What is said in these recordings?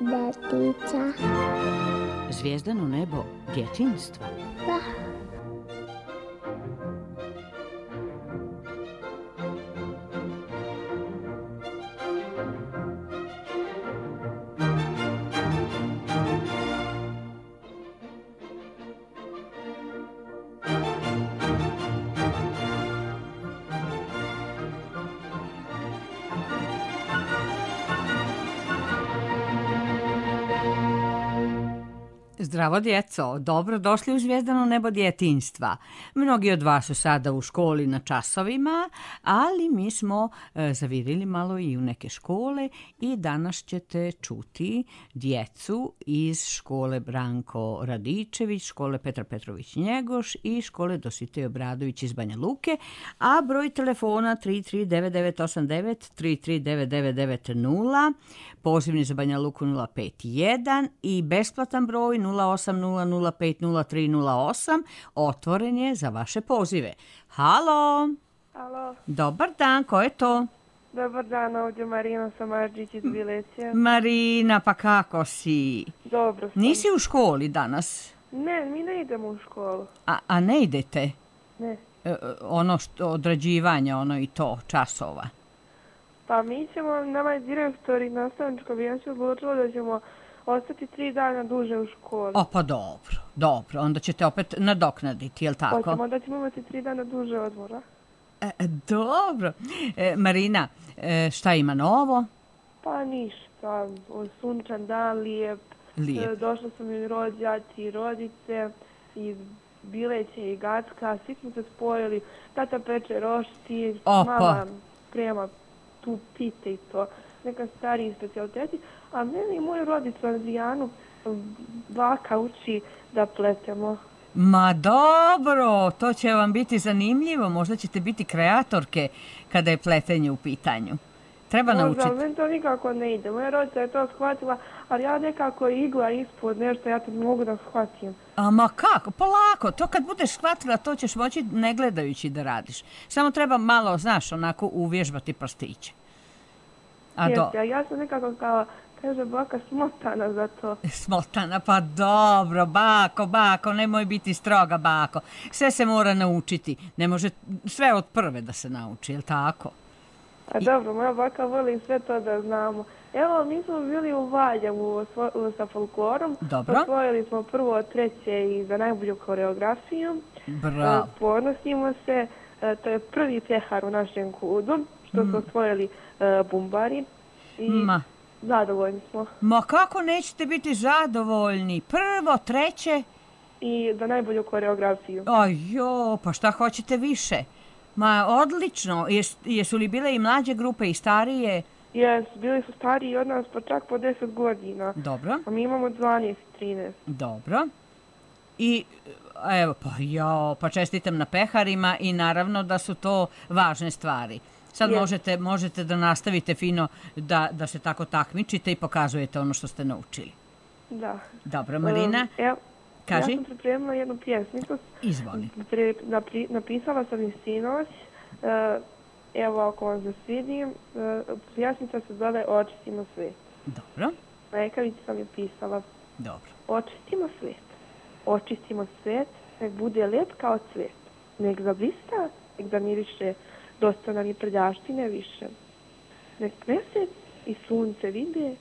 Detica. Zvijezdano nebo djetinjstva. Da. Zdravo djeco, dobro došli u Zvijezdano nebo djetinjstva. Mnogi od vas su sada u školi na časovima, ali mi smo zavirili malo i u neke škole i danas ćete čuti djecu iz škole Branko Radičević, škole Petar Petrović Njegoš i škole Dositej Obradović iz Banja Luke, a broj telefona 339989, 339990, pozivni za Banja Luku 051 i besplatan broj 0800503008 otvoren je za vaše pozive. Halo! Alo. Dobar dan, ko je to? Dobar dan, ovdje Marina Samarđić iz Bileća. Marina, pa kako si? Dobro sam. Nisi u školi danas? Ne, mi ne idemo u školu. A ne idete? Ne. Ono što odrađivanje, ono i to, časova? Pa mi ćemo, nama je direktor i nastavničko vijeće odlučilo da ćemo ostati 3 dana duže u školi. O, pa dobro, onda ćete opet nadoknaditi, jel tako? Hoćemo da ćemo imati 3 dana duže odmora. Dobro. Marina, šta ima novo? Pa ništa, sunčan dan, lijep. Došli su mi rođaci i rodice iz Bileća i Gacka, svi smo se spojili, tata peče rošti, mama prema tu pite i to, neka stariji specijaliteti, a mene i moju rodicu Adrijanu baka uči da pletemo. Ma dobro, to će vam biti zanimljivo, možda ćete biti kreatorke kada je pletenje u pitanju. Treba naučiti. Možda, meni to nikako ne ide. Moja rodica je to shvatila, ali ja nekako igla ispod nešto, ja to ne mogu da shvatim. Ma kako? Polako. To kad budeš shvatila, to ćeš moći ne gledajući da radiš. Samo treba malo, znaš, onako uvježbati prstiće. Ja sam nekako kao, kaže baka, smotana za to. Smotana, pa dobro, bako, nemoj biti stroga, bako. Sve se mora naučiti. Ne može sve od prve da se nauči, jel tako? A dobro, moja baka voli sve to da znamo. Evo, mi smo bili u Valjevu sa folklorom. Dobro. Osvojili smo prvo 3. i za najbolju koreografiju. Bravo. Ponosimo se, to je prvi pjehar u našem kudu, što su osvojili bumbari. I zadovoljni smo. Ma kako nećete biti zadovoljni? Prvo, 3. I za najbolju koreografiju. Ajo, pa šta hoćete više? Ma odlično. Jesu li bile i mlađe grupe i starije? Bili su stariji od nas pa čak po 10 godina. Dobro. A mi imamo 12 i 13. Dobro. I evo, pa čestitam na peharima i naravno da su to važne stvari. Sad možete da nastavite fino da se tako takmičite i pokazujete ono što ste naučili. Da. Dobro, Marina. Kaži. Ja sam pripremila jednu pjesmicu. Izvoli. Napisala sam i sinoć. Evo, ako vam zasvidim, pjesmica se zove Očistimo svijet. Dobro. Lekavić sam je pisala. Dobro. Očistimo svijet. Očistimo svijet, nek bude lijep kao cvijet. Nek zablista, nek zamiriše, dosta nam i prljaštine više. Nek mjesec i sunce vide,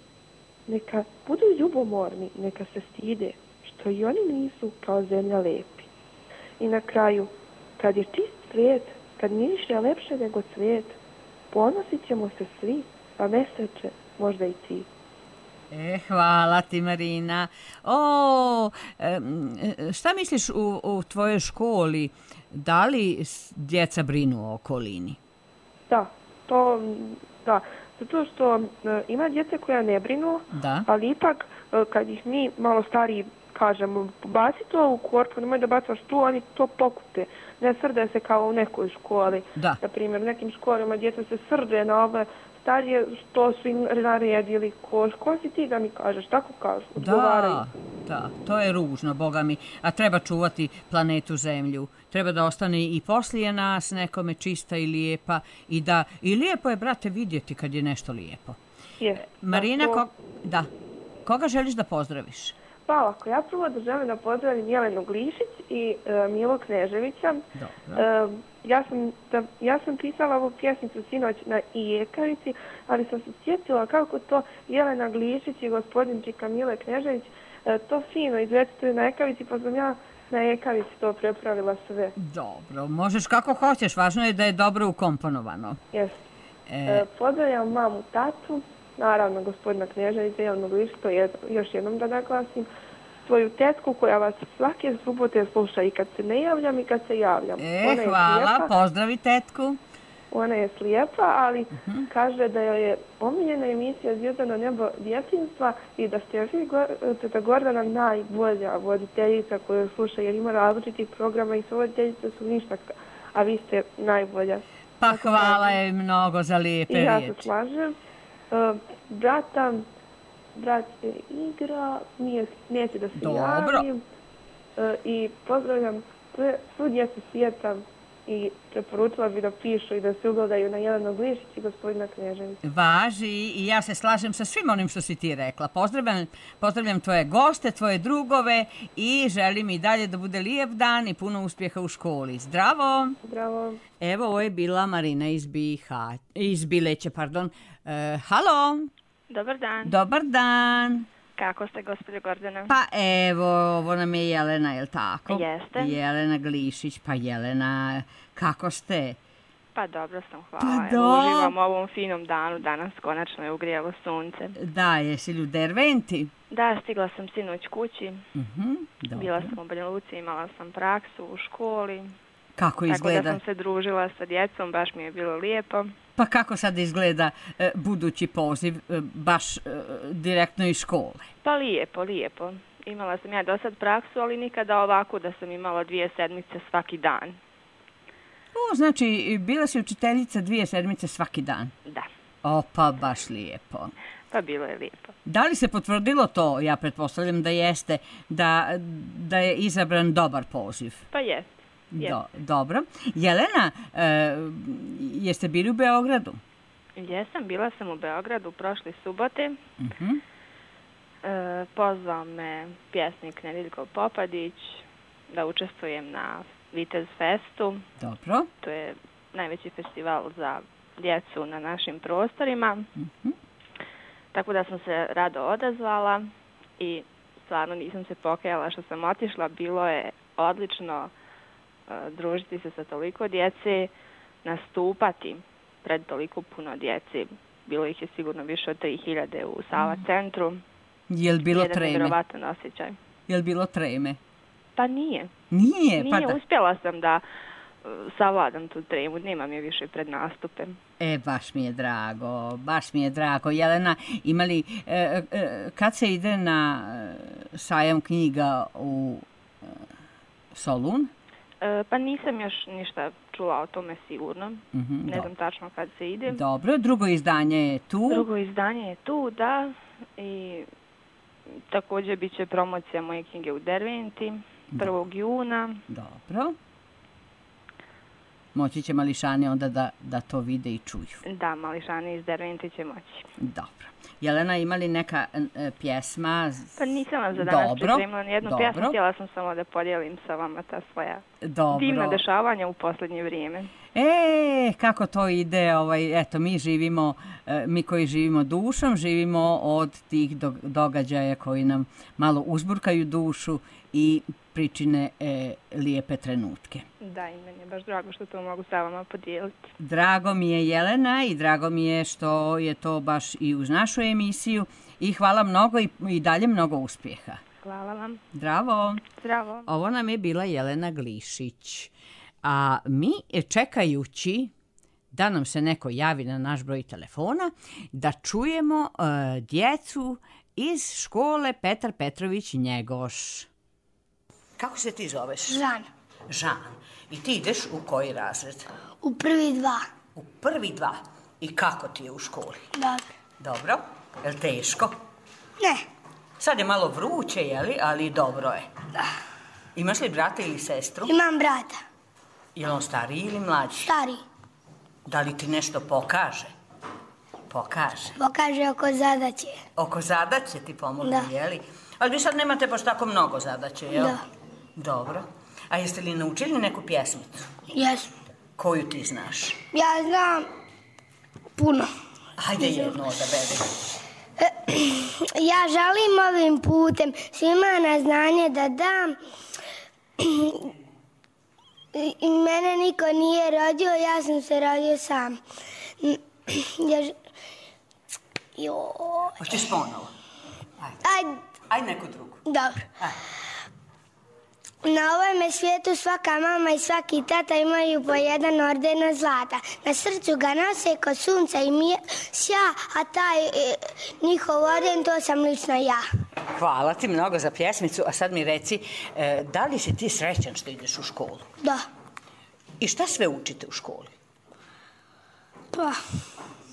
neka budu ljubomorni, neka se stide, što i oni nisu kao zemlja lepi. I na kraju, kad je čist svijet, kad miriše lepše nego cvijet, ponosit ćemo se svi, pa meseče, možda i ti. Hvala ti, Marina. Šta misliš u tvojoj školi? Da li djeca brinu o okolini? Da. Zato što ima djece koja ne brinu, ali ipak kad ih mi malo stariji kažemo, baci to u korpu, nemoj da bacaš tu, oni to pokupe. Ne srde se kao u nekoj školi. Na primjer, u nekim školama djeca se srde na ove starije što su im naredili. Ko si ti da mi kažeš? Tako kažu. Da, to je ružno, Boga mi. A treba čuvati planetu Zemlju. Treba da ostane i poslije nas nekome čista i lijepa. I lijepo je, brate, vidjeti kad je nešto lijepo. Marina, koga želiš da pozdraviš? Pa ovako, ja prvo da želim da pozdravim Jelenu Glišić i Milo Kneževića. Dobro. Ja sam pisala ovu pjesmicu sinoć na Ijekavici, ali sam se sjetila kako to Jelena Glišić i gospodin Čika Mile Knežević to fino izrecituju na Ekavici, pa sam ja na Ekavici to prepravila sve. Dobro, možeš kako hoćeš, važno je da je dobro ukomponovano. Jeste. Pozdravljam mamu, tatu, naravno gospodina Kneževića, Jelenu Glišić, to još jednom da naglasim, svoju tetku koja vas svake subote sluša i kad se ne javljam i kad se javljam. Hvala, pozdravi tetku. Ona je slijepa, ali kaže da joj je omiljena emisija Zvijezdano nebo djetinjstva i da ste vi, teta Gordana, najbolja voditeljica koju sluša, jer ima različitih programa i sve voditeljice su ništa, a vi ste najbolja. Pa hvala je mnogo za lijepe riječi. I ja se slažem. Brat se igra, neće da se javim. I pozdravljam svu djecu svijeta i preporučila bi da pišu i da se ugledaju na Jelenu Glišić i gospodina Kneževića. Važi i ja se slažem sa svim onim što si ti rekla. Pozdravljam tvoje goste, tvoje drugove i želim i dalje da bude lijep dan i puno uspjeha u školi. Zdravo! Zdravo! Evo, ovo je bila Marina iz Bileća. Halo! Dobar dan. Dobar dan. Kako ste, gospođo Gordana? Pa evo, ovo nam je Jelena, je li tako? Jeste. Jelena Glišić. Pa Jelena, kako ste? Pa dobro sam, hvala. Pa Uživam u ovom finom danu, danas konačno je ugrijalo sunce. Da, jesi li u Derventi? Da, stigla sam sinoć kući. Dobro. Bila sam u Banja Luci, imala sam praksu u školi. Kako izgleda? Tako da sam se družila sa djecom, baš mi je bilo lijepo. Pa kako sad izgleda budući poziv, baš direktno iz škole? Pa lijepo. Imala sam ja do sad praksu, ali nikada ovako da sam imala 2 sedmice svaki dan. Znači, bila si učiteljica 2 sedmice svaki dan? Da. Pa baš lijepo. Pa bilo je lijepo. Da li se potvrdilo to, ja pretpostavljam da jeste, da je izabran dobar poziv? Pa jeste. Dobro. Jelena, jeste bili u Beogradu? Jesam, bila sam u Beogradu prošle subote. Pozvao me pjesnik Nedeljko Popadić da učestvujem na Vitez Festu. Dobro. To je najveći festival za djecu na našim prostorima. Tako da sam se rado odazvala i stvarno nisam se pokajala što sam otišla. Bilo je odlično družiti se sa toliko djece, nastupati pred toliko puno djece. Bilo ih je sigurno više od 3000 u Sava centru. Je li bilo treme? Jedan nevjerovatan osjećaj. Je li bilo treme? Pa nije. Nije? Uspjela sam da savladam tu tremu, nemam je više pred nastupem. Baš mi je drago. Jelena, imali, kad se ide na sajam knjiga u Solun? Pa nisam još ništa čula o tome sigurno. Ne znam tačno kad se ide. Dobro, drugo izdanje je tu. Drugo izdanje je tu, da. I također bit će promocija moje knjige u Derventi 1. juna. Dobro. Moći će mališani onda da to vide i čuju. Da, mališani iz Derventi će moći. Dobro. Jelena, ima li neka pjesma? Pa nisam vam za danas pripremila nijednu pjesmu, htjela sam samo da podijelim sa vama ta svoja divna dešavanja u posljednje vrijeme. Kako to ide, eto, mi koji živimo dušom, živimo od tih događaja koji nam malo uzburkaju dušu i pričine lijepe trenutke. Da, i meni je baš drago što to mogu sa vama podijeliti. Drago mi je, Jelena, i drago mi je što je to baš i uz našu emisiju i hvala mnogo i dalje mnogo uspjeha. Hvala vam. Zdravo. Zdravo. Ovo nam je bila Jelena Glišić, a mi čekajući da nam se neko javi na naš broj telefona, da čujemo djecu iz škole Petar Petrović Njegoš. Kako se ti zoveš? Žan. Žan. I ti ideš u koji razred? U prvi 2. U prvi 2. I kako ti je u školi? Dobro. Dobro. Je li teško? Ne. Sad je malo vruće, jeli, ali dobro je. Da. Imaš li brata ili sestru? Imam brata. Je li on stariji ili mlađi? Stariji. Da li ti nešto pokaže? Pokaže. Pokaže oko zadaće. Oko zadaće ti pomogu, Da. jeli? Ali vi sad nemate baš tako mnogo zadaće, jel? Da. Dobro. A jeste li naučili neku pjesmicu? Jesmo. Koju ti znaš? Ja znam puno. Hajde jednu odaberi. Ja želim ovim putem svima na znanje da dam. I mene niko nije rodio, ja sam se rodio sam. Hoćeš ponovo? Ajde. Ajde neku drugu. Dobro. Ajde. Na ovom svijetu svaka mama i svaki tata imaju po jedan orden zlata. Na srcu ga nose ko sunca i sja, a taj njihov orden to sam lično ja. Hvala ti mnogo za pjesmicu, a sad mi reci, da li si ti srećan što ideš u školu? Da. I šta sve učite u školi? Pa,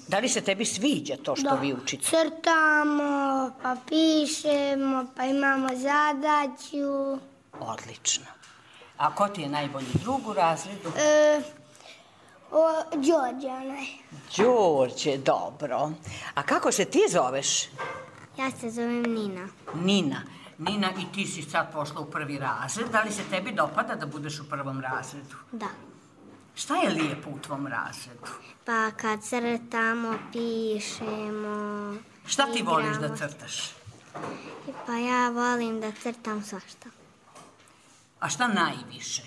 Da li se tebi sviđa to što vi učite? crtamo, pa pišemo, pa imamo zadaću. Odlično. A ko ti je najbolji drug u razredu? Đorđe, onaj. Đorđe, dobro. A kako se ti zoveš? Ja se zovem Nina. Nina. Nina, i ti si sad pošla u prvi razred. Da li se tebi dopada da budeš u prvom razredu? Da. Šta je lijepo u tvom razredu? Pa kad crtamo, pišemo, Šta ti igramo. voliš da crtaš? Pa ja volim da crtam svašta. A šta najviše?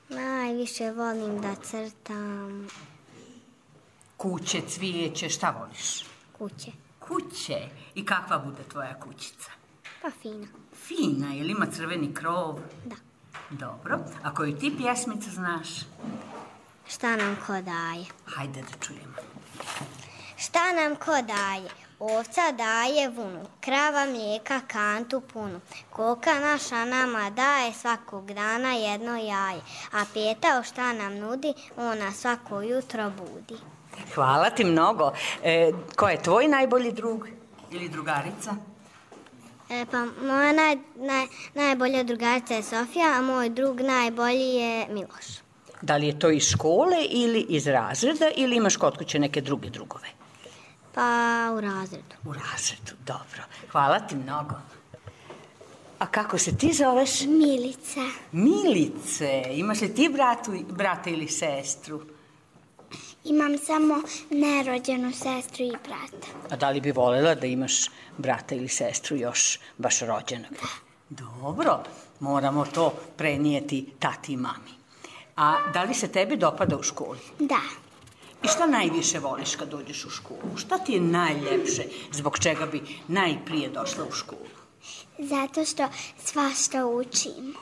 Najviše volim da crtam Kuće, cvijeće, šta voliš? kuće. Kuće. I kakva bude tvoja kućica? Pa fina. Fina, jel ima crveni krov? Da. Dobro. A koju ti pjesmicu znaš? Šta nam ko daje? Hajde da čujemo. Šta nam ko daje? Ovca daje vunu, krava mlijeka kantu punu. Koka naša nama daje svakog dana jedno jaje. A pitao šta nam nudi, ona svako jutro budi. Hvala ti mnogo. Ko je tvoj najbolji drug ili drugarica? Pa moja najbolja drugarica je Sofija, a moj drug najbolji je Miloš. Da li je to iz škole ili iz razreda ili imaš kod kuće neke druge drugove? Pa u razredu. U razredu, dobro. Hvala ti mnogo. A kako se ti zoveš? Milica. Milice. Imaš li ti brata ili sestru? Imam samo nerođenu sestru i brata. A da li bi voljela da imaš brata ili sestru još baš rođenog? Dobro, moramo to prenijeti tati i mami. A da li se tebi dopada u školi? Da. I šta najviše voliš kad dođeš u školu? Šta ti je najljepše, zbog čega bi najprije došla u školu? Zato što svašta učimo.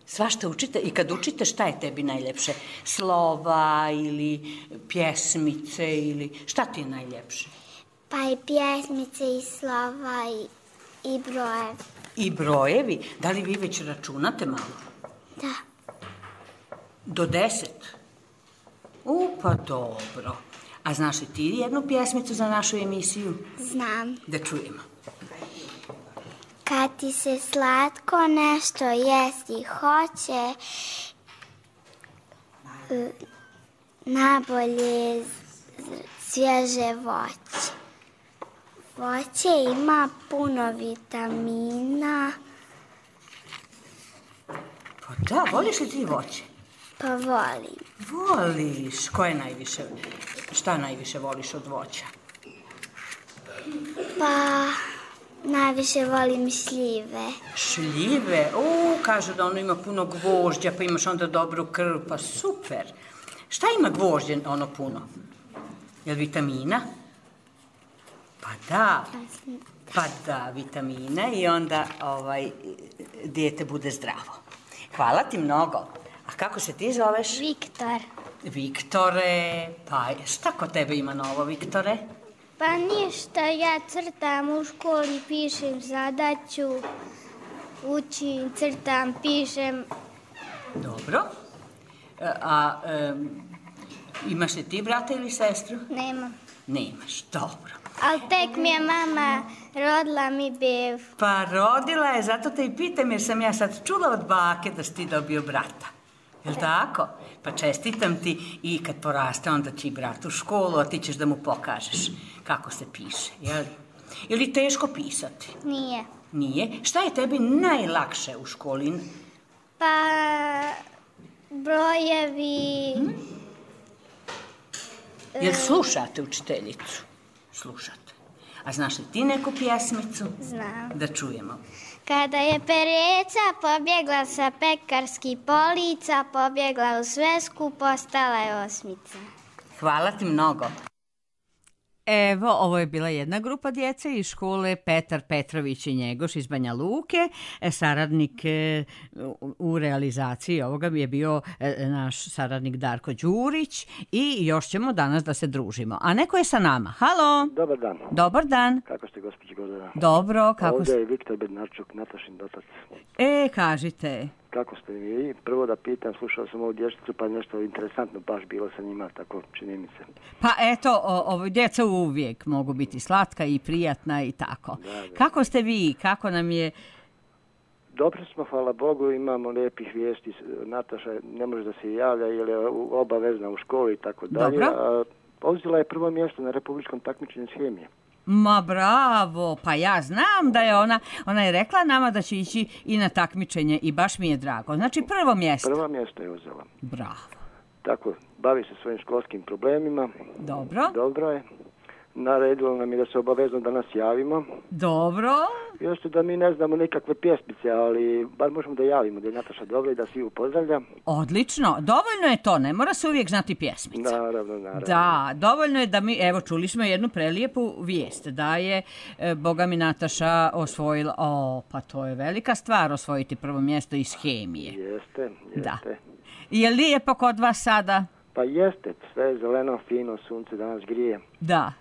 Svašta učite i kad učite šta je tebi najljepše? Slova ili pjesmice ili šta ti je najljepše? Pa i pjesmice i slova i brojevi. I brojevi? Da li vi već računate malo? Da. Do 10? Pa dobro. A znaš li ti jednu pjesmicu za našu emisiju? Znam. Da čujemo. Kad ti se slatko nešto jesti hoće, nabolje svježe voće. Voće ima puno vitamina. Pa da, voliš li ti voće? Pa volim. Voliš. Šta najviše voliš od voća? Pa najviše volim šljive. Šljive? Kažu da ono ima puno gvožđa, pa imaš onda dobru krv, pa super. Šta ima gvožđe ono puno? Je li vitamina? Pa da, vitamina i onda dijete bude zdravo. Hvala ti mnogo. A kako se ti zoveš? Viktor. Viktore, pa šta kod tebe ima novo, Viktore? Pa ništa, ja crtam u školi, pišem zadaću, učim, crtam, pišem. Dobro. A imaš li ti brata ili sestru? Nemam. Nemaš, dobro. Ali tek mi je mama rodila mi bev. Pa rodila je, zato te i pitam jer sam ja sad čula od bake da si ti dobio brata. Jel' tako? Pa čestitam ti i kad poraste onda će i brat u školu, a ti ćeš da mu pokažeš kako se piše, jel? Je li teško pisati? Nije. Nije? Šta je tebi najlakše u školi? Pa brojevi... Jel slušate učiteljicu? Slušate. A znaš li ti neku pjesmicu? Znam. Da čujemo. Kada je pereca pobjegla sa pekarskih polica, pobjegla u svesku, postala je osmica. Hvala ti mnogo. Evo, ovo je bila jedna grupa djece iz škole Petar Petrović i Njegoš iz Banja Luke. Saradnik u realizaciji ovoga je bio naš saradnik Darko Đurić i još ćemo danas da se družimo. A neko je sa nama. Halo! Dobar dan. Dobar dan. Kako ste, gospođo Gordana? Dobro, kako Ovdje je Viktor Bednarčuk, Natašin otac. Kažite. Kako ste vi? Prvo da pitam, slušao sam ovu dječicu, pa nešto interesantno baš bilo sa njima, tako čini mi se. Pa eto, djeca uvijek mogu biti slatka i prijatna i tako. Da. Kako ste vi? Kako nam je... Dobro smo, hvala Bogu, imamo lijepih vijesti. Nataša ne može da se javlja jer je obavezna u školi i tako dalje. Dobro. Uzela je prvo mjesto na republičkom takmičenju iz hemije. Ma bravo, pa ja znam da je ona je rekla nama da će ići i na takmičenje i baš mi je drago. Znači prvo mjesto. Prvo mjesto je uzela. Bravo. Tako, bavi se svojim školskim problemima. Dobro. Dobro je. Naredilo nam je da se obavezno da nas javimo. Dobro. Još da mi ne znamo nikakve pjesmice, ali bar možemo da javimo da je Nataša dobro i da svi ju pozdravlja. Odlično, dovoljno je to, ne mora se uvijek znati pjesmice. Naravno. Da, dovoljno je da mi, evo čuli smo jednu prelijepu vijest, da je Boga mi Nataša osvojila, pa to je velika stvar osvojiti prvo mjesto iz hemije. Jeste. Da. Je lijepo kod vas sada? Pa jeste, sve je zeleno, fino, sunce danas grije. Da.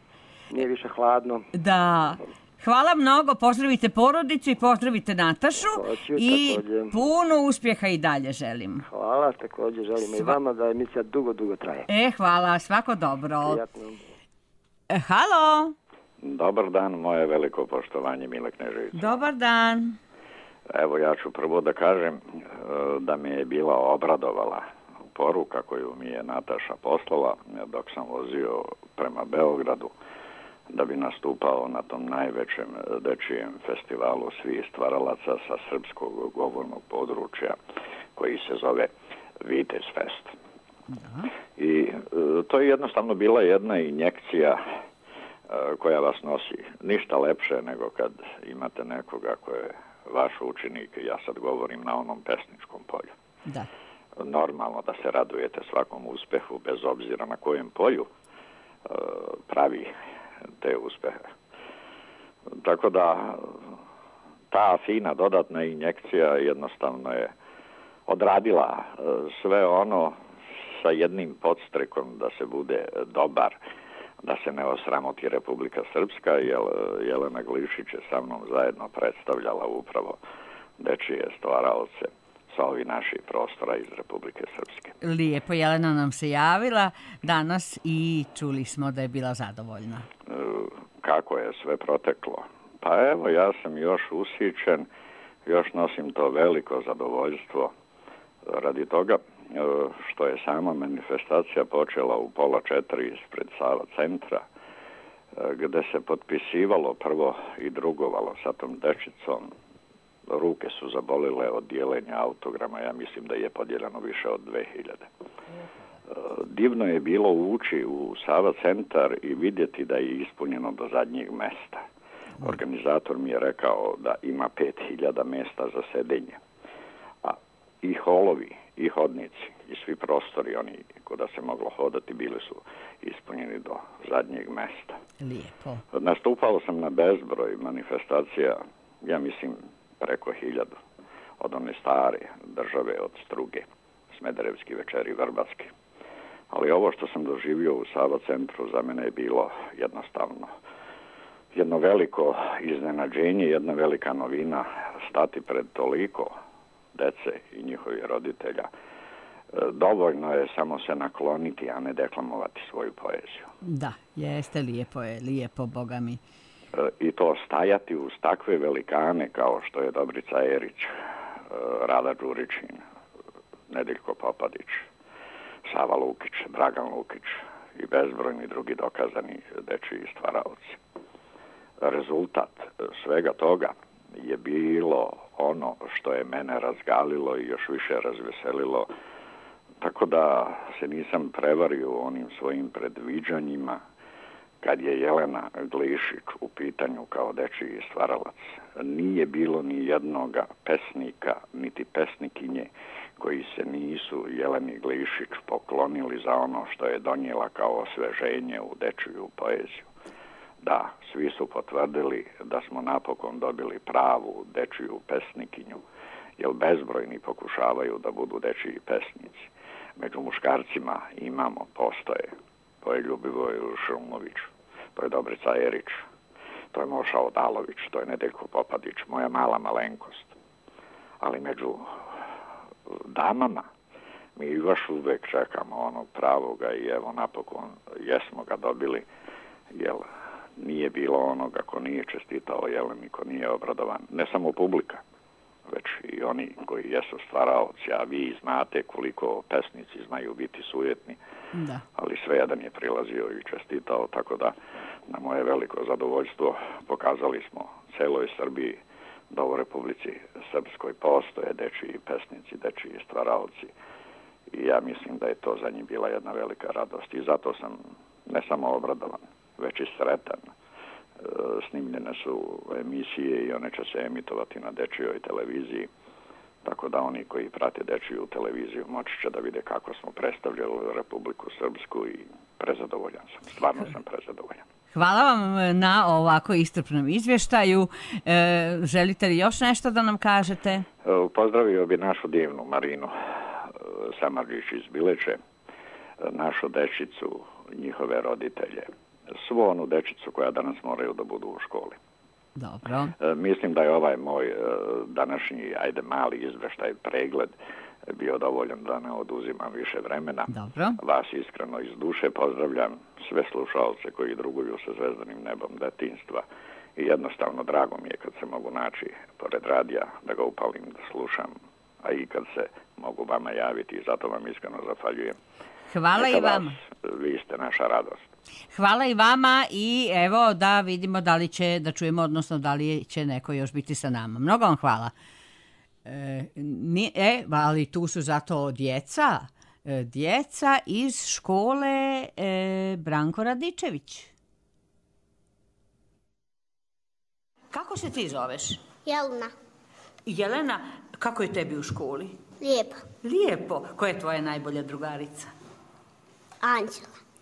Nije više hladno. Da. Hvala mnogo, pozdravite porodicu i pozdravite Natašu. Hoću, i također. Puno uspjeha i dalje želim. Hvala, također želim i vama da emisija dugo traje. Hvala, svako dobro. Prijatno. Halo. Dobar dan, moje veliko poštovanje, Mile Knežević. Dobar dan. Evo, ja ću prvo da kažem da me je bila obradovala poruka koju mi je Nataša poslala dok sam vozio prema Beogradu da bi nastupao na tom najvećem dečijem festivalu svih stvaralaca sa srpskog govornog područja koji se zove Vitez Fest. I to je jednostavno bila jedna injekcija koja vas nosi. Ništa lepše nego kad imate nekoga ko je vaš učenik, ja sad govorim na onom pesničkom polju. Da. Normalno da se radujete svakom uspehu, bez obzira na kojem polju pravi te uspehe. Tako da ta fina dodatna injekcija jednostavno je odradila sve ono sa jednim podstrekom da se bude dobar, da se ne osramoti Republika Srpska, jer Jelena Glišić je sa mnom zajedno predstavljala upravo dečije stvaralce sa ovih naših prostora iz Republike Srpske. Lijepo, Jelena nam se javila danas i čuli smo da je bila zadovoljna. Kako je sve proteklo? Pa evo, ja sam još usićen, još nosim to veliko zadovoljstvo radi toga što je sama manifestacija počela u 3:30 ispred Sava centra, gde se potpisivalo prvo i drugovalo sa tom dečicom. Ruke su zabolile od dijeljenja autograma, ja mislim da je podijeljeno više od 2000. Divno je bilo ući u Sava centar i vidjeti da je ispunjeno do zadnjeg mesta. Organizator mi je rekao da ima 5000 mesta za sedenje. A i holovi, i hodnici, i svi prostori, oni kuda se moglo hodati, bili su ispunjeni do zadnjeg mesta. Lijepo. Nastupao sam na bezbroj manifestacija, ja mislim preko 1000, od one stare države, od Struge, Smederevski večeri, Vrbatski. Ali ovo što sam doživio u Sava centru za mene je bilo jednostavno jedno veliko iznenađenje, jedna velika novina, stati pred toliko dece i njihovih roditelja. Dovoljno je samo se nakloniti, a ne deklamovati svoju poeziju. Da, jeste, lijepo, Boga mi. I to stajati uz takve velikane kao što je Dobrica Erić, Rada Đurićin, Nedeljko Popadić, Sava Lukić, Dragan Lukić i bezbrojni drugi dokazani dečiji stvaraoci. Rezultat svega toga je bilo ono što je mene razgalilo i još više razveselilo, tako da se nisam prevario onim svojim predviđanjima kad je Jelena Glišić u pitanju kao dečiji stvaralac. Nije bilo ni jednoga pesnika, niti pesnikinje koji se nisu Jeleni Glišić poklonili za ono što je donijela kao osveženje u dečiju poeziju. Da, svi su potvrdili da smo napokon dobili pravu dečiju pesnikinju, jer bezbrojni pokušavaju da budu dečiji pesnici. Među muškarcima postoje. To je Ljubivoj Šumović, to je Dobrica Erić, to je Moša Odalović, to je Nedeljko Popadić, moja mala malenkost. Ali među damama mi još uvek čekamo onog pravoga i evo napokon jesmo ga dobili, jer nije bilo onoga ko nije čestitao Jeleni, ko nije obradovan. Ne samo publika, već i oni koji jesu stvaraoci, a vi znate koliko pesnici znaju biti sujetni, da. Ali svejedan je prilazio i čestitao, tako da na moje veliko zadovoljstvo pokazali smo celoj Srbiji da u Republici Srpskoj postoje dečiji pesnici, dečiji stvaraoci i ja mislim da je to za njih bila jedna velika radost i zato sam ne samo obradovan, već i sretan. Snimljene su emisije i one će se emitovati na dečijoj televiziji, tako da oni koji prate dečiju televiziju moći će da vide kako smo predstavljali Republiku Srpsku i prezadovoljan sam, stvarno sam prezadovoljan. Hvala vam na ovako iscrpnom izvještaju. Želite li još nešto da nam kažete? Pozdravio bi našu divnu Marinu Samardžić iz Bileče, našu dečicu, njihove roditelje, svu onu dečicu koja danas moraju da budu u školi. Dobro. Mislim da je ovaj moj današnji, mali izveštaj, pregled bio dovoljan da ne oduzimam više vremena. Dobro. Vas iskreno iz duše pozdravljam, sve slušalce koji druguju sa zvezdanim nebom detinjstva i jednostavno drago mi je kad se mogu naći pored radija, da ga upalim, da slušam, a i kad se mogu vama javiti i zato vam iskreno zahvaljujem. Hvala i vama. Vi ste naša radost. Hvala i vama i evo da vidimo da li će, da čujemo, odnosno da li će neko još biti sa nama. Mnogo vam hvala. Ali tu su zato djeca iz škole Branko Radičević. Kako se ti zoveš? Jelena. Jelena, kako je tebi u školi? Lijepo. Lijepo. Koja je tvoja najbolja drugarica?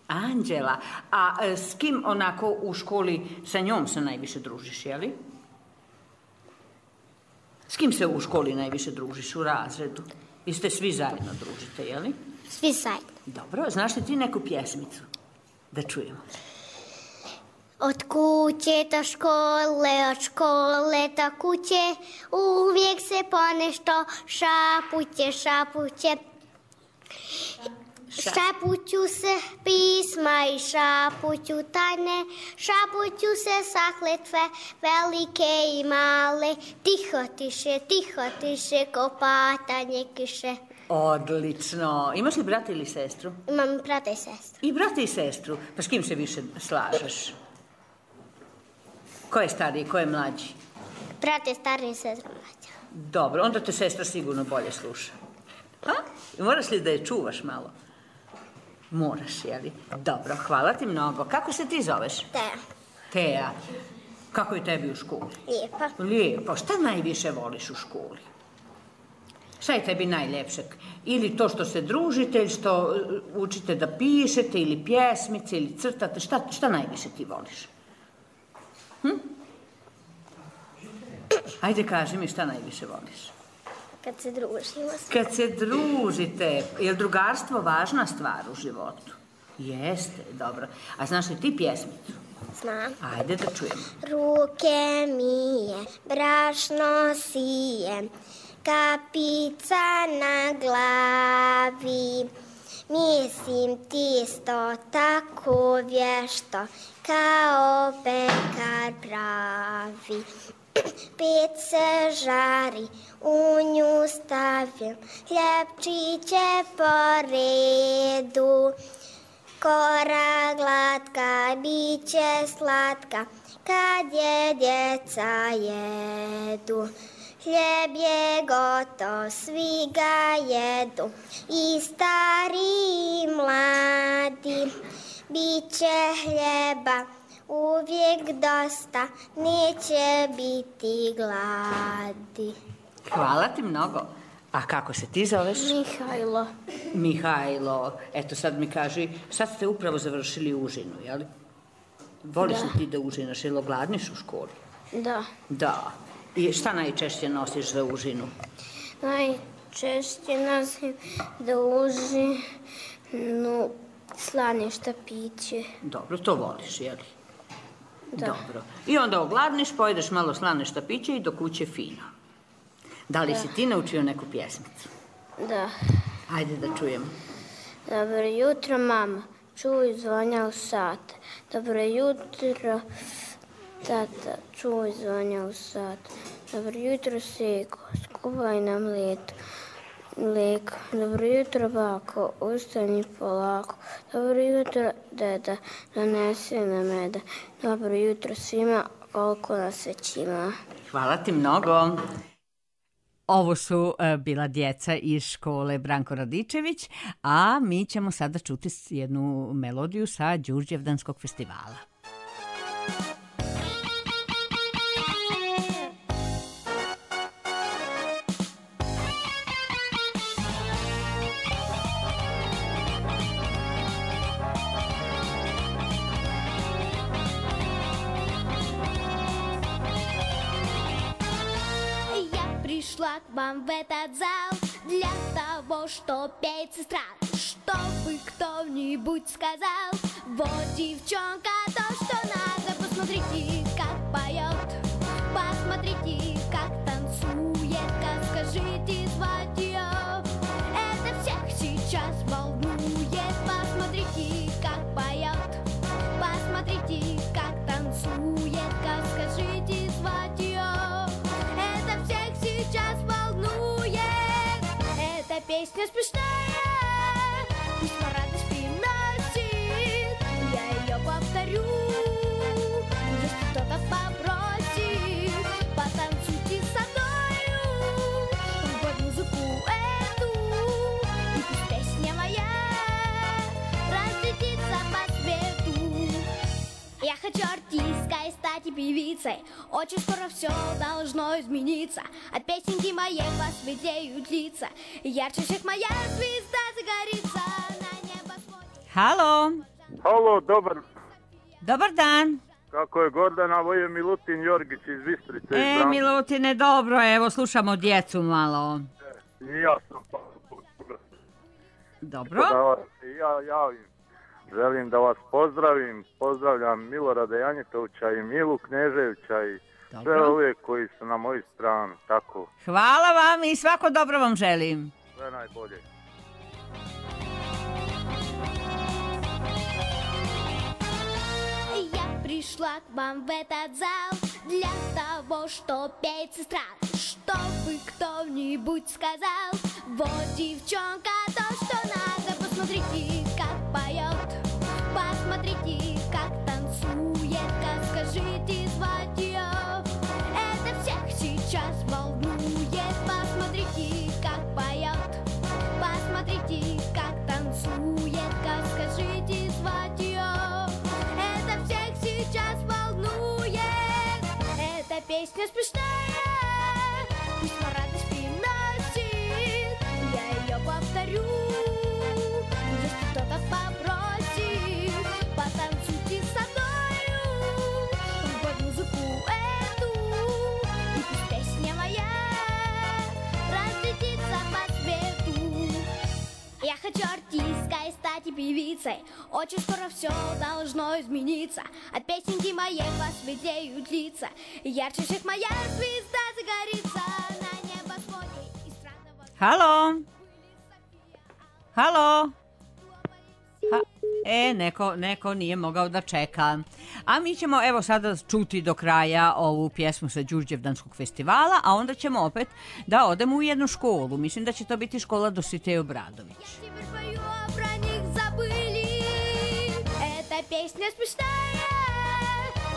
Anđela. A s kim onako u školi sa njom se najviše družiš, jeli? S kim se u školi najviše družiš u razredu? Vi ste svi zajedno družite, jeli? Svi zajedno. Dobro, znaš li ti neku pjesmicu? Da čujemo. Od kuće do škole, od škole do kuće, uvijek se ponešto šapuće. Šapuću se pisma i šapuću tajne, šapuću se zakletve velike i male, tiho tiše, ko patanje kiše. Odlično. Imaš li brata ili sestru? Imam brata i sestru. I brata i sestru. Pa s kim se više slažeš? Ko je stariji, ko je mlađi? Brat je stariji i sestra mlađa. Dobro, onda te sestra sigurno bolje sluša. A? Moraš li da je čuvaš malo? Moraš, jeli? Dobro, hvala ti mnogo. Kako se ti zoveš? Teja. Kako je tebi u školi? Lijepo. Lijepo. Šta najviše voliš u školi? Šta je tebi najljepše? Ili to što se družite, ili što učite da pišete, ili pjesmice, ili crtate? Šta najviše ti voliš? Ajde, kaži mi šta najviše voliš. Kad se družimo. Kad se družite. Je li drugarstvo važna stvar u životu? Jeste, dobro. A znaš li ti pjesmicu? Znam. Ajde da čujemo. Ruke mije, brašno sije, kapica na glavi, mislim tisto tako vješto, kao pekar pravi. Peć se žari, u nju stavim hljebčiće po redu. Kora glatka, biće slatka, kad je djeca jedu. Hljeb je gotov, svi ga jedu, i stari i mladi. Biće hljeba uvijek dosta, neće biti gladi. Hvala ti mnogo. A kako se ti zoveš? Mihajlo. Mihajlo. Eto sad mi kaži, sad ste upravo završili užinu, jel? Voliš li ti da užinaš, ili ogladniš u školi? Da. Da. I šta najčešće nosiš za užinu? Najčešće nosim da užinu slane štapiće. Dobro, to voliš, jel? Da. Dobro. I onda ogladniš, pojedeš malo slane štapiće i do kuće fino. Da li si ti naučio neku pjesmicu? Da. Ajde da čujemo. Dobro jutro, mama, čuj zvonja u sat. Dobro jutro, tata, čuj zvonja u sat. Dobro jutro, seko, skuvaj nam mlijeko. Dobro jutro, bako, ustani polako. Dobro jutro, deda, donesi nam meda. Dobro jutro svima, koliko nas već ima. Hvala ti mnogo. Ovo su bila djeca iz škole Branko Radičević, a mi ćemo sada čuti jednu melodiju sa Đurđevdanskog festivala. Пришла к вам в этот зал для того, чтоб петь сестра, чтобы кто-нибудь сказал: вот девчонка, то, что надо. Посмотрите, как поет, посмотрите, как танцует, как скажите звать ее. Это всех сейчас волнует. Посмотрите, как поет, посмотрите, как танцует, как скажите звать ее. Сейчас волнует, эта песня смешная, пусть радость приносит, я ее повторю, если кто-то попросит, потанцуйте со мною под музыку эту, и пусть песня моя разлетится по свету. Я хочу артисткой стать и певицей, очень скоро все должно измениться. От песенки моей посветеют лица, ярче всех моя звезда загорится на небосводе. Halo. Halo, Dobar dan. Kako je Gordana, ovo je Milutin Jorgić iz Bistrice. Milutine, dobro, evo, slušamo djecu malo. Ja sam Dobro. Ja javim. Želim da vas pozdravim, pozdravljam Milorada Janjetovića i Milu Kneževića i sve ove koji su na moju stranu, tako. Hvala vam i svako dobro vam želim. Sve najbolje. Я пришла к вам в этот зал для того, чтоб петь сестра, чтобы кто-нибудь сказал: вот девчонка, то, что надо. Посмотрите, как поет, посмотрите, как танцует, как скажите звать ее. Это всех сейчас волнует. Посмотрите, как поет, посмотрите, как танцует, как скажите звать ее. Это всех сейчас волнует. Эта песня смешная, пусть радость приносит, я ее повторю. Если кто-то попросит, потанцуйте со мною под музыку эту, и пусть песня моя разлетится по свету. Я хочу артисткой стать и певицей, очень скоро все должно измениться. От песенки моей посветеют лица, ярче всех моя звезда загорится на небосводе и странного... Halo. Halo. Neko nije mogao da čeka. A mi ćemo evo sada čuti do kraja ovu pjesmu sa Đurđevdanskog festivala, a onda ćemo opet da odemo u jednu školu. Mislim da će to biti škola Dositej Obradović. Песня смешная,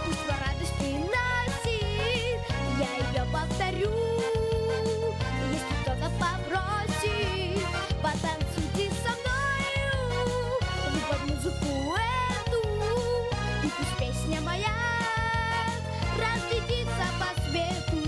пусть радость приносит, я ее повторю. Если кто-то попросит, потанцуйте со мною под музыку эту, и пусть песня моя разлетится по свету.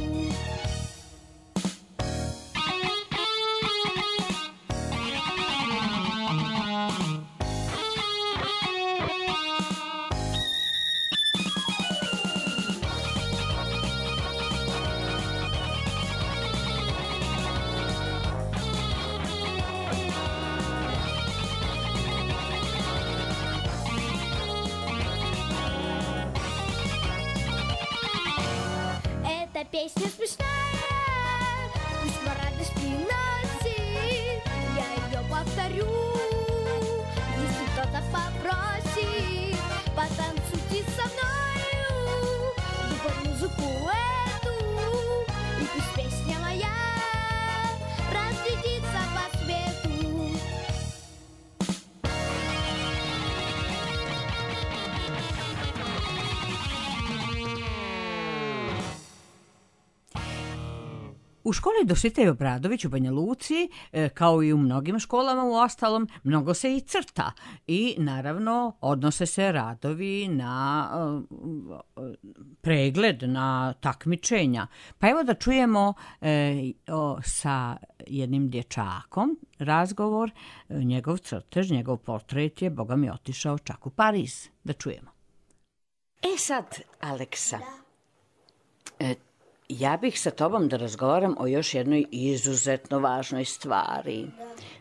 Песня смешная, пусть радость приносит, я ее повторю. Если кто-то попросит, потанцуйте со мною под музыку эту, и пусть песня моя разлетится по свету. U školi Dositej Obradović u Banja Luci, kao i u mnogim školama u ostalom, mnogo se i crta i naravno odnose se radovi na pregled, na takmičenja. Pa evo da čujemo sa jednim dječakom razgovor, njegov crtež, njegov portret je, Boga mi, otišao čak u Pariz. Da čujemo. Sad, Aleksa, ja bih sa tobom da razgovaram o još jednoj izuzetno važnoj stvari.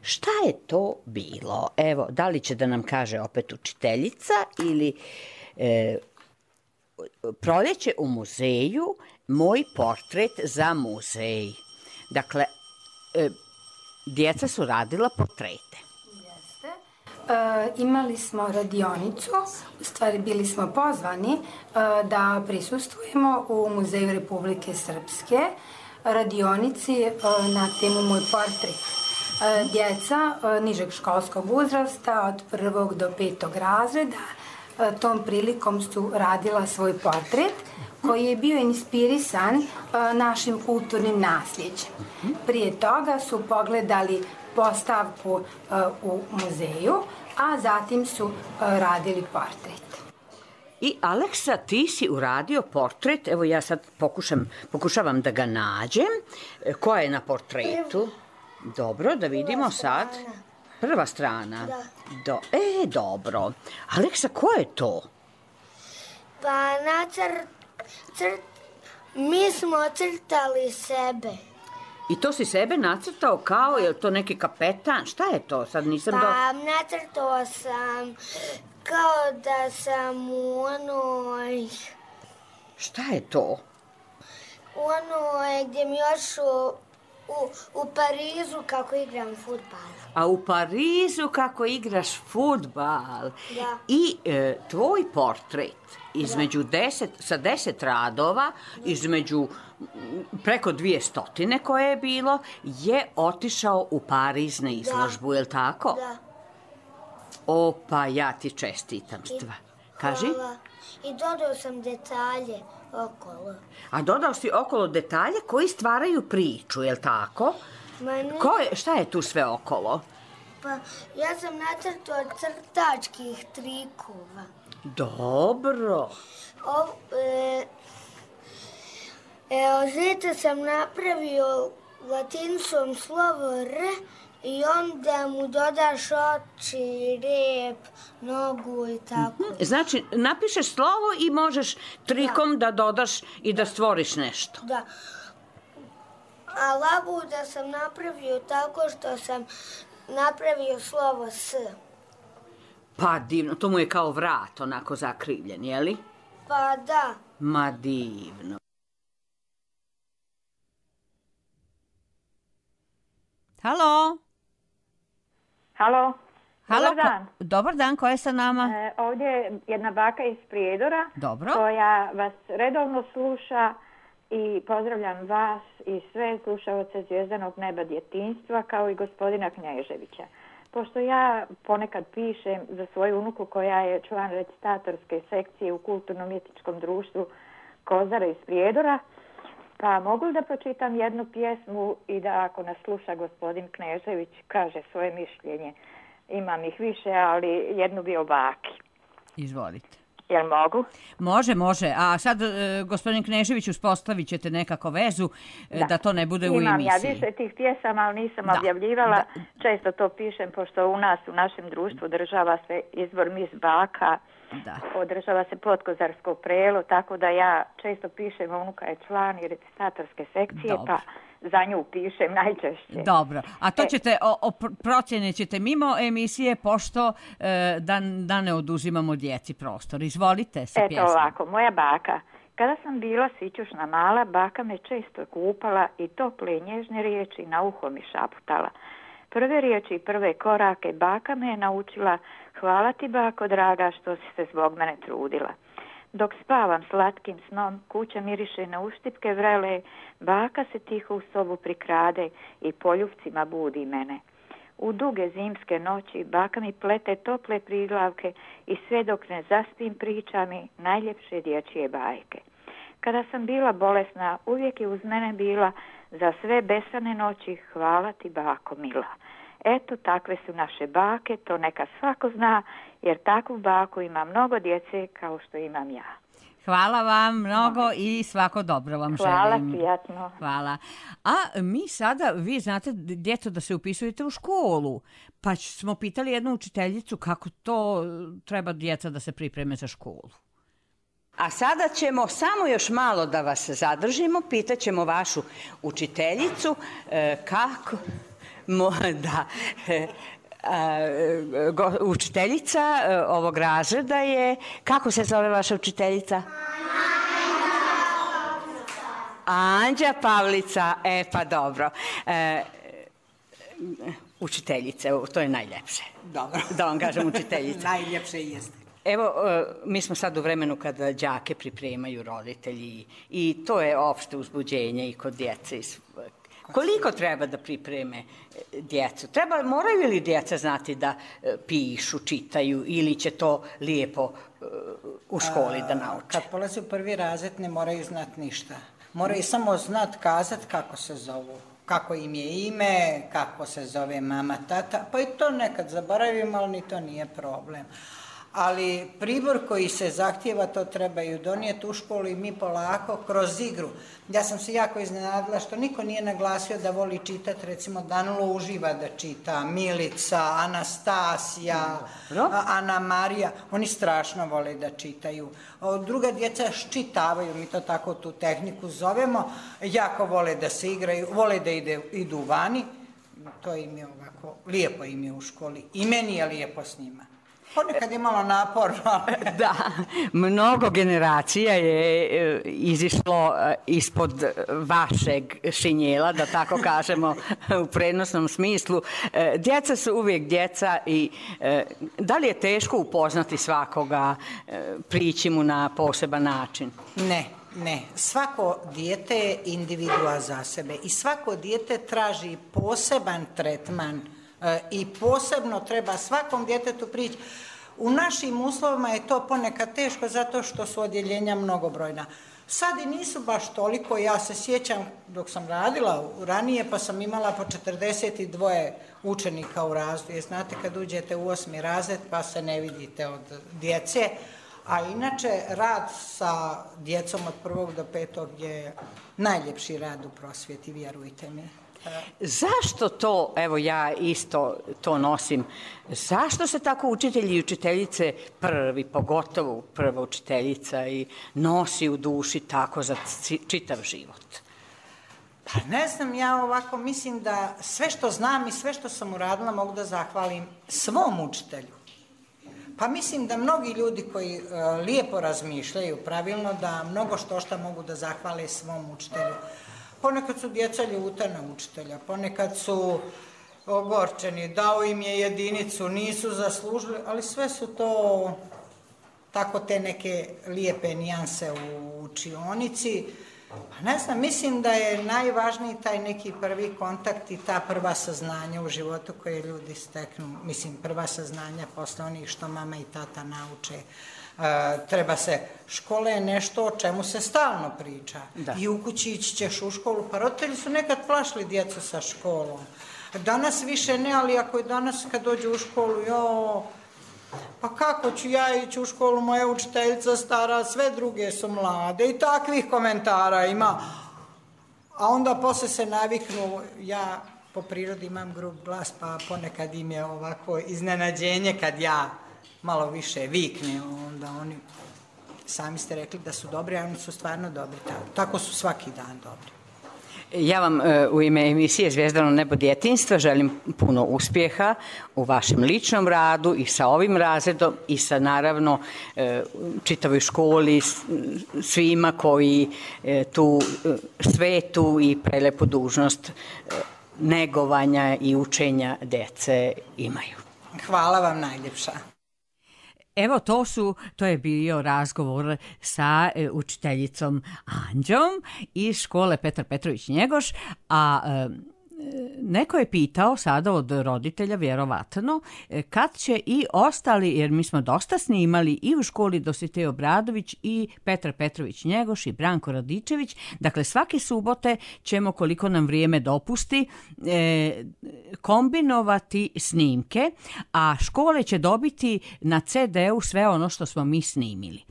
Šta je to bilo? Evo, da li će da nam kaže opet učiteljica ili Proleće u muzeju, moj portret za muzej. Dakle, djeca su radila portrete. Imali smo radionicu, u stvari bili smo pozvani da prisustvujemo u Muzeju Republike Srpske, radionici na temu Moj portret. Djeca nižeg školskog uzrasta od 1. do 5. razreda tom prilikom su radila svoj portret koji je bio inspirisan našim kulturnim nasljeđem. Prije toga su pogledali postavku u muzeju, a zatim su radili portret. I Aleksa, ti si uradio portret, evo ja sad pokušavam da ga nađem. Ko je na portretu? Dobro, da vidimo sad. Prva strana. Dobro. Aleksa, ko je to? Pa mi smo crtali sebe. I to si sebe nacrtao kao, je li to neki kapetan? Šta je to? Sad nisam Pa nacrtao sam kao da sam u onoj... Šta je to? U onoj gdje mi još u Parizu kako igram fudbal. A u Parizu kako igraš fudbal. Da. I tvoj portret između sa 10 radova, između preko 200 koje je bilo, je otišao u Pariz na izložbu, je li tako? Da. Opa, ja ti čestitam. Kaži? Hvala. I dodao sam detalje okolo. A dodao si okolo detalje koji stvaraju priču, je li tako? Šta je tu sve okolo? Pa ja sam nacrtao crtačkih trikova. Dobro. Žete sam napravio latinicom slovo R i onda mu dodaš oči, rep, nogu i tako. Znači, napišeš slovo i možeš trikom da dodaš i da stvoriš nešto. Da. A labuda sam napravio tako što sam napravio slovo S. Pa divno, to mu je kao vrat, onako zakrivljen, je li? Pa da. Ma divno. Halo? Halo? Dobar dan. Dobar dan, ko je sa nama? Ovdje je jedna baka iz Prijedora. Dobro. Koja vas redovno sluša i pozdravljam vas i sve slušaoce Zvijezdanog neba djetinjstva kao i gospodina Knježevića. Pošto ja ponekad pišem za svoju unuku koja je član recitatorske sekcije u kulturno-umjetničkom društvu Kozara iz Prijedora, pa mogu li da pročitam jednu pjesmu i da ako nas sluša gospodin Knežević kaže svoje mišljenje. Imam ih više, ali jednu bi o baki. Izvolite. Jel mogu? Može. A sad, gospodin Knežević, uspostavit ćete nekako vezu da to ne bude u emisiji. Imam ja više tih pjesama, ali nisam objavljivala. Često to pišem, pošto u nas, u našem društvu, održava se izbor Mis baka, održava se Potkozarsko prelo, tako da ja često pišem, unuka je član i recitatorske sekcije, pa za nju pišem najčešće. Dobro, a to ćete, procjene ćete mimo emisije, pošto da ne oduzimamo djeci prostor. Izvolite sa pjesmom. Eto ovako, moja baka. Kada sam bila sićušna mala, baka me često kupala i tople i nježne riječi na uho mi šaputala. Prve riječi i prve korake baka me je naučila, hvala ti bako draga što si se zbog mene trudila. Dok spavam slatkim snom, kuća miriše na uštipke vrele, baka se tiho u sobu prikrade i poljupcima budi mene. U duge zimske noći baka mi plete tople priglavke i sve dok ne zaspim priča mi najljepše dječje bajke. Kada sam bila bolesna, uvijek je uz mene bila, za sve besane noći hvala ti bako mila. Eto, takve su naše bake, to neka svako zna, jer takvu baku ima mnogo djece kao što imam ja. Hvala vam mnogo i svako dobro vam želim. Hvala, prijatno. Hvala. A mi sada, vi znate, djeco, da se upisujete u školu, pa smo pitali jednu učiteljicu kako to treba djeca da se pripreme za školu. A sada ćemo samo još malo da vas zadržimo, pitaćemo vašu učiteljicu kako... Učiteljica ovog razreda je... Kako se zove vaša učiteljica? Anđa Pavlica. Pa dobro. Učiteljice, to je najljepše. Dobro. Da vam kažem učiteljica. Najljepše jeste. Evo, mi smo sad u vremenu kada đake pripremaju roditelji i to je opšte uzbuđenje i kod djece. Koliko treba da pripreme djecu? Moraju li djeca znati da pišu, čitaju ili će to lijepo u školi da nauče? Kad polaze u prvi razred ne moraju znati ništa. Moraju samo znati kazati kako se zovu. Kako im je ime, kako se zove mama, tata. Pa i to nekad zaboravimo, ali ni to nije problem. Ali pribor koji se zahtjeva, to trebaju donijeti u školu i mi polako kroz igru. Ja sam se jako iznenadila što niko nije naglasio da voli čitati, recimo Danulo uživa da čita, Milica, Anastasija, Ana Marija, oni strašno vole da čitaju. Druga djeca ščitavaju, mi to tako tu tehniku zovemo, jako vole da se igraju, vole da idu vani, to im je ovako, lijepo im je u školi i meni je lijepo s njima. Ponekad je malo naporno. Da, mnogo generacija je izišlo ispod vašeg šinjela, da tako kažemo u prenosnom smislu. Djeca su uvijek djeca i da li je teško upoznati svakoga, prići mu na poseban način? Ne. Svako dijete je individua za sebe i svako dijete traži poseban tretman i posebno treba svakom djetetu prići. U našim uslovima je to ponekad teško zato što su odjeljenja mnogobrojna. Sad i nisu baš toliko, ja se sjećam dok sam radila ranije pa sam imala po 42 učenika u razredu. Znate kad uđete u 8. razred pa se ne vidite od djece, a inače rad sa djecom od 1. do 5. je najljepši rad u prosvjeti, vjerujte mi. Zašto to, evo ja isto to nosim, zašto se tako učitelji i učiteljice prvi, pogotovo prva učiteljica i nosi u duši tako za čitav život? Pa ne znam, ja ovako mislim da sve što znam i sve što sam uradila mogu da zahvalim svom učitelju. Pa mislim da mnogi ljudi koji lijepo razmišljaju pravilno da mnogo što mogu da zahvale svom učitelju. Ponekad su djeca ljuta na učitelja, ponekad su ogorčeni, dao im je jedinicu, nisu zaslužili, ali sve su to tako te neke lijepe nijanse u učionici. Ne znam, mislim da je najvažniji taj neki prvi kontakt i ta prva saznanja u životu koje ljudi steknu. Mislim, prva saznanja posle onih što mama i tata nauče. Treba se, škola je nešto o čemu se stalno priča. Da. I u kući ići ćeš u školu, pa roditelji su nekad plašili djecu sa školom. Danas više ne, ali ako je danas kad dođu u školu, pa kako ću ja ići u školu, moja učiteljica stara, sve druge su mlade i takvih komentara ima. A onda posle se naviknu, ja po prirodi imam grub glas, pa ponekad im je ovako iznenađenje kad ja malo više vikne, onda oni, sami ste rekli da su dobri, a oni su stvarno dobri, tako su svaki dan dobri. Ja vam u ime emisije Zvijezdano nebo djetinjstva želim puno uspjeha u vašem ličnom radu i sa ovim razredom i sa naravno čitavoj školi, svima koji tu svetu i prelepu dužnost negovanja i učenja djece imaju. Hvala vam najljepša. Evo, to je bio razgovor sa učiteljicom Anđom iz škole Petar Petrović Njegoš, a neko je pitao sada od roditelja, vjerovatno, kad će i ostali, jer mi smo dosta snimali i u školi Dositej Obradović i Petar Petrović Njegoš i Branko Radičević. Dakle, svake subote ćemo, koliko nam vrijeme dopusti, kombinovati snimke, a škole će dobiti na CD-u sve ono što smo mi snimili.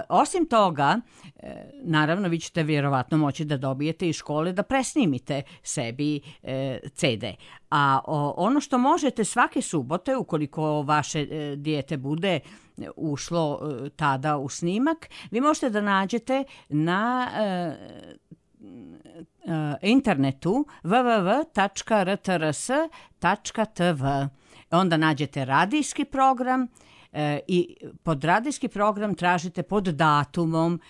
Osim toga, naravno, vi ćete vjerovatno moći da dobijete iz škole da presnimite sebi CD. A ono što možete svake subote, ukoliko vaše dijete bude ušlo tada u snimak, vi možete da nađete na internetu www.rtrs.tv. Onda nađete radijski program i pod radijski program tražite pod datumom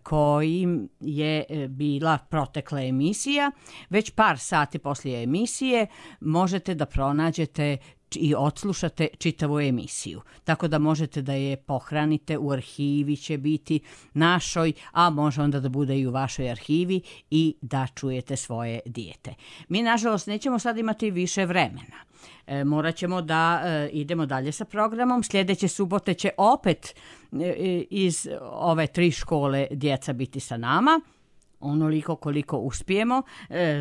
kojim je bila protekla emisija. Već par sati poslije emisije možete da pronađete i odslušate čitavu emisiju. Tako da možete da je pohranite, u arhivi će biti našoj, a može onda da bude i u vašoj arhivi i da čujete svoje dijete. Mi, nažalost, nećemo sad imati više vremena. Morat ćemo da idemo dalje sa programom. Sljedeće subote će opet iz ove 3 škole djeca biti sa nama, onoliko koliko uspijemo.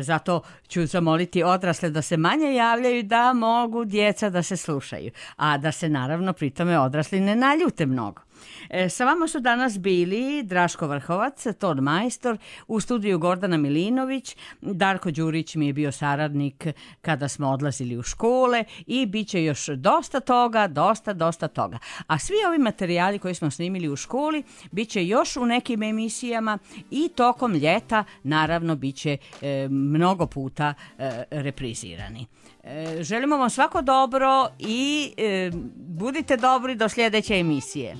Zato ću zamoliti odrasle da se manje javljaju, da mogu djeca da se slušaju, a da se naravno pritome odrasli ne naljute mnogo. Sa vama su danas bili Draško Vrhovac, ton majstor, u studiju Gordana Milinović, Darko Đurić mi je bio saradnik kada smo odlazili u škole i bit će još dosta toga, dosta toga. A svi ovi materijali koji smo snimili u školi bit će još u nekim emisijama i tokom ljeta naravno bit će mnogo puta reprizirani. Želimo vam svako dobro i budite dobri do sljedeće emisije.